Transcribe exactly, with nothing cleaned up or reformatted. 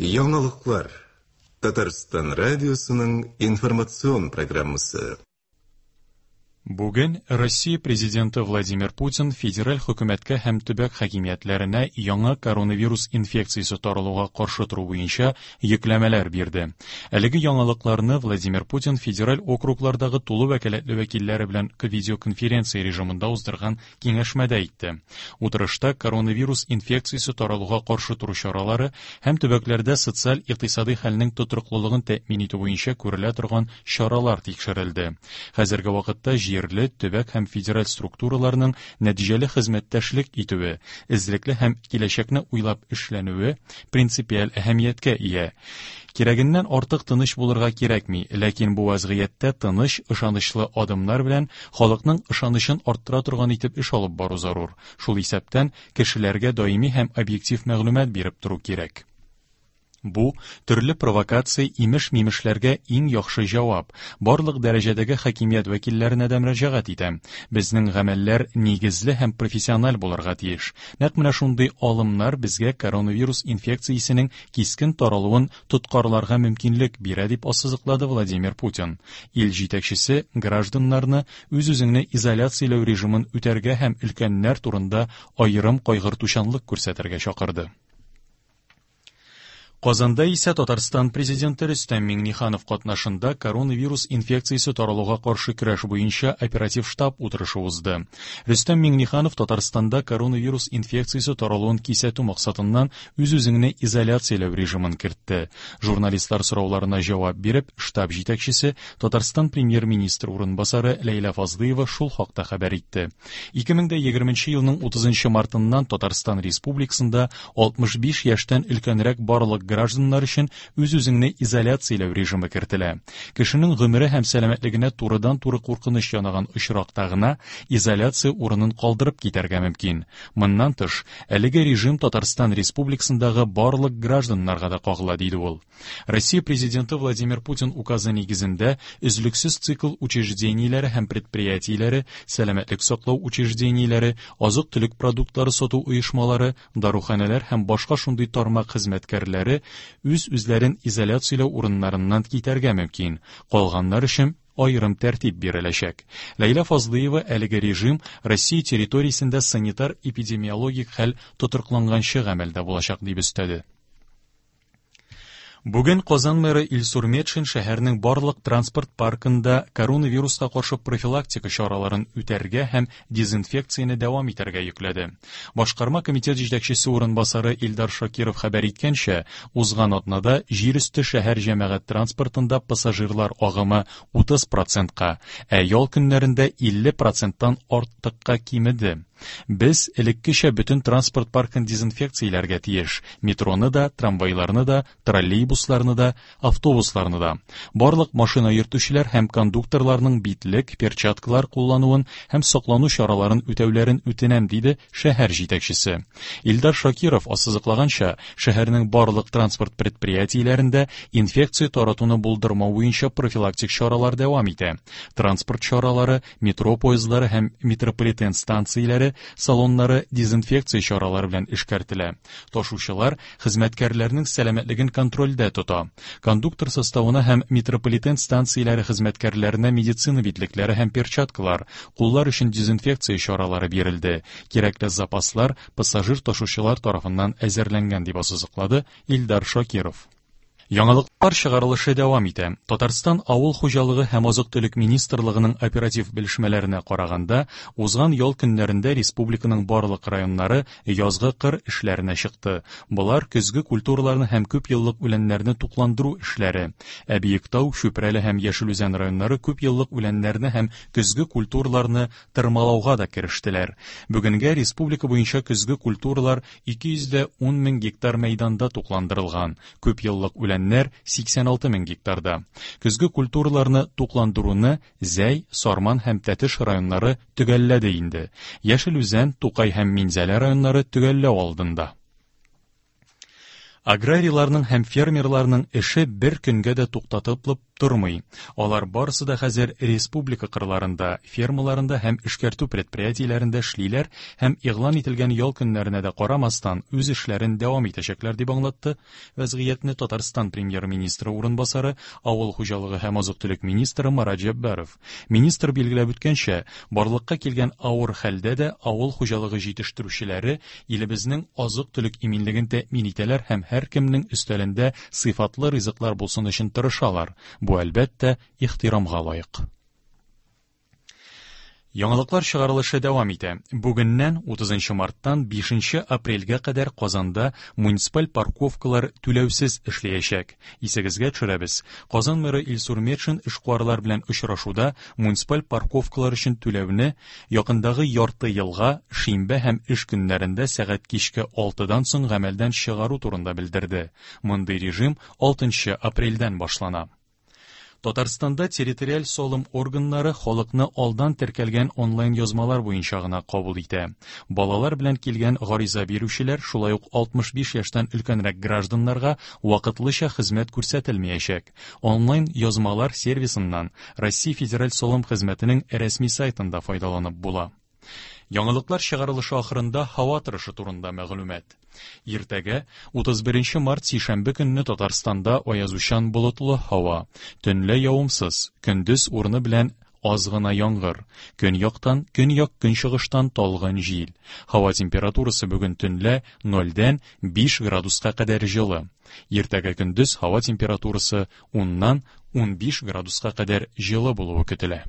Яңалыклар. Татарстан радиосының информацион программасы. Бүген Россия президенты Владимир Путин федераль хөкүмәткә һәм төбәк хакимиятләренә яңа коронавирус инфекциясе таралуга каршы тору буенча йөкләмәләр бирде. Әлеге яңалыкларны Владимир Путин федераль округлардагы тулы вәкаләтле вәкилләре белән видеоконференция режимында уздырган киңәшмәдә әйтте. Утырышта коронавирус инфекциясе таралуга каршы тору чаралары һәм төбәкләрдә социаль-икътисади хәлнең тотрыклылыгын тәэмин итү буенча күрелә торган чаралар тикшерелде. Хәзерге вакытта җирле, төбәк һәм федераль структураларның нәтиҗәле хезмәттәшлек итүе, эзлекле һәм киләчәкне уйлап эшләнүе принципиаль әһәмияткә ия. Кирәгеннән артык тыныч булырга кирәкми, ләкин бу вазгыятьтә тыныч, ышанычлы адымнар белән халыкның ышанычын арттыра торган итеп эш алып бару зарур. Шул исәптән кешеләргә даими һәм объектив мәгълүмат биреп тору кирәк. Бу төрле провокация имеш-мимешләргә иң яхшы җавап. Барлык дәрәҗәдәге хакимият вәкилләренә дә мөрәҗәгать итәм. Безнең гамәлләр нигезле һәм профессиональ булырга тиеш. Нәкъ менә шундый алымнар безгә коронавирус инфекциясенең кискен таралуын тоткарларга мөмкинлек бирә, дип ассызыклады Владимир Путин. Ил җитәкчесе гражданнарны үз-үзеңне изоляцияләү режимын үтәргә һәм өлкәннәр турында аерым кайгыртучанлык күрсәтергә чакырды. Казанда исә Татарстан президенты Рөстәм Миңнеханов катнашында коронавирус инфекциясе таралуга каршы көрәш буенча оператив штаб утырышы узды. Рөстәм Миңнеханов Татарстанда коронавирус инфекциясе таралуын кисәтү максатыннан үз-үзеңне изоляцияләү режимын кертте. Журналистлар сорауларына җавап биреп, штаб җитәкчесе Татарстан премьер-министры урынбасары Ләйлә Фазлыева шул хакта хәбәр итте. ике мең егерменче елның утызынчы мартыннан Татарстан Республикасында алтмыш биш яшьтән өлкәнрәк барлык гражданнар өчен үз-үзеңне изоляцияләү режимы кертелә. Кешенең гомере һәм сәламәтлегенә турыдан-туры куркыныч янаган очракта гына изоляция урынын калдырып китәргә мөмкин. Моннан тыш, әлеге режим Татарстан Республикасындагы барлык гражданнарга да кагыла, диде ул. Россия президенты Владимир Путин указы нигезендә өзлексез цикл учреждениеләре һәм предприятиеләре, сәламәтлек саклау учреждениеләре, азык-төлек продуктлары сату оешмалары, даруханәләр һәм башка шундый тармак хезмәткәрләре үз-үзләрен изоляцияләү урыннарыннан китәргә мөмкин. Калганнар өчен аерым тәртип биреләчәк. Ләйлә Фазлыева әлеге режим Россия территориясендә санитар-эпидемиологик хәл тотрыкланганчы гамәлдә булачак дип өстәде. Бүген Казан мэры Илсур Метшин шәһәрнең барлык транспорт паркында коронавируска каршы профилактика чараларын үтәргә һәм дезинфекцияне дәвам итәргә йөкләде. Башкарма комитет җитәкчесе урынбасары Илдар Шакиров хәбәр иткәнчә, узган атнада җир өсте шәһәр җәмәгать транспортында пассажирлар агымы утыз процентка, ә ял көннәрендә илле проценттан артыкка кимеде. Без элеккечә бөтен транспорт паркын дезинфекцияләргә тиеш. Метроны да, трамвайларны да, троллейбусларны да, автобусларны да. Барлык машина йөртүчеләр һәм кондукторларның битлек, перчаткалар куллануын һәм саклану чараларын үтәүләрен үтенәм, диде шәһәр җитәкчесе. Илдар Шакиров ассызыклаганча, шәһәрнең барлык транспорт предприятиеләрендә инфекция таратуны булдырмау буенча профилактик чаралар дәвам итә. Транспорт чаралары, метро поездлары һәм метрополитен станцияләре салоннары дезинфекция чаралары белән эшкәртелә. Ташучылар хезмәткәрләрнең сәламәтлеген контрольдә тота. Кондуктор составына һәм метрополитен станцияләре хезмәткәрләренә медицина битлекләре һәм перчаткалар, куллар өчен дезинфекция чаралары бирелде. Кирәкле запаслар пассажир ташучылар тарафыннан әзерләнгән, дип ассызыклады Илдар Шакиров. Яңалыклар чыгарылышы дәвам итә. Татарстан Авыл хуҗалыгы һәм азык-төлек министрлыгының оператив белешмәләренә караганда, узган ял көннәрендә республиканың барлык районнары язгы кыр эшләренә чыкты. Болар көзге культураларны һәм күп еллык үләннәрне тукландыру эшләре. Ә Биектау, Чүпрәле һәм Яшел Үзән районнары күп еллык үләннәрне һәм көзге культураларны тырмалауга да керештеләр. Бүгенгә республика буенча көзге культуралар ике йөз дә ун мең гектар мәйданда тукландырылган. Күп еллык үлән сиксән алты мең гектарда. Көзге культураларны тукландыруны Зәй, Сарман һәм Тәтеш районнары төгәлләде инде. Яшел Үзән, Тукай һәм Минзәлә районнары төгәлләү алдында. Аграрийларның һәм фермерларның эше бер көнгә дә туктатылып тормый. Алар барысы да хәзер республика кырларында, фермаларында һәм эшкәртү предприятиеләрендә эшлиләр һәм игълан ителгән ял көннәренә дә карамастан үз эшләрен дәвам итәчәкләр, дип аңлатты вәзгыятьне Татарстан премьер-министры урынбасары, авыл хуҗалыгы һәм азык-төлек министры Марат Җәббаров. Министр билгеләп үткәнчә, барлыкка килгән авыр хәлдә дә авыл хуҗалыгы җитештерүчеләре илебезнең азык-төлек иминлеген тәэмин итәләр һәм һәркемнең өстәлендә сыйфатлы ризыклар булсын өчен тырышалар. Бу, әлбәттә, ихтирамга лаек. Яңалыклар чыгарылышы дәвам итә. Бүгеннән утызынчы марттан бишенче апрельгә кадәр Казанда муниципаль парковкалар түләүсез эшләячәк. Исегезгә төшерәбез. Казан мэры Илсур Метшин эшкуарлар белән очрашуда муниципаль парковкалар өчен түләүне якындагы ярты елга шимбә һәм эш көннәрендә сәгать кичке алтыдан соң гамәлдән чыгару турында белдерде. Мондый режим алтынчы апрельдән башлана. Татарстанда территориаль салым органнары халыкны алдан теркәлгән онлайн язмалар буенча гына кабул итә. Балалар белән килгән гариза бирүчеләр, шулай ук алтмыш биш яшьтән өлкәнрәк гражданнарга вакытлыча хезмәт күрсәтелмәячәк. Онлайн язмалар сервисыннан Россия Федераль салым хезмәтенең рәсми сайтында файдаланып була. Яңалыклар чыгарылышы ахырында һава торышы турында мәгълүмат. Иртәгә утыз беренче март сишәмбе көнне Татарстанда аязучан болытлы һава, төнлә явымсыз, көндез урыны белән аз гына яңгыр, көньяктан, көньяк-көнчыгыштан талгын җил. Һава температурасы бүген төнлә нольдән биш градуска кадәр җылы. Иртәгә көндез һава температурасы уннан унбиш градуска кадәр җылы булуы көтелә.